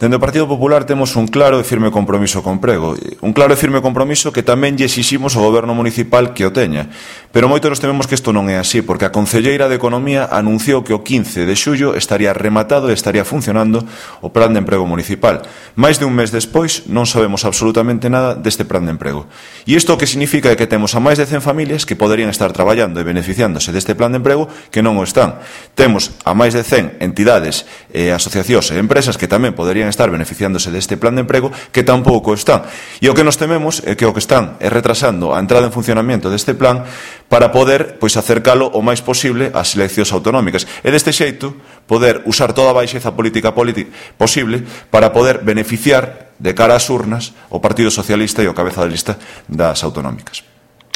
Dende o Partido Popular temos un claro e firme compromiso co emprego. Un claro e firme compromiso que tamén lle exiximos ao Goberno municipal que o teña. Pero moito nos tememos que isto non é así, porque a Concelleira de Economía anunciou que o 15 de xullo estaría rematado e estaría funcionando o Plan de Emprego Municipal. Mais de un mes despois non sabemos absolutamente nada deste Plan de Emprego. E isto o que significa é que temos a máis de 100 familias que poderían estar traballando e beneficiándose deste Plan de Emprego que non o están. Temos a máis de 100 entidades, asociacións e empresas que tamén poderían estar beneficiándose deste Plan de Emprego que tampouco están. E o que nos tememos é que o que están é retrasando a entrada en funcionamento deste plan para poder acercalo o máis posible ás eleccións autonómicas. E deste xeito poder usar toda a baixeza política posible para poder beneficiar de cara ás urnas o Partido Socialista e o cabeza de lista das autonómicas.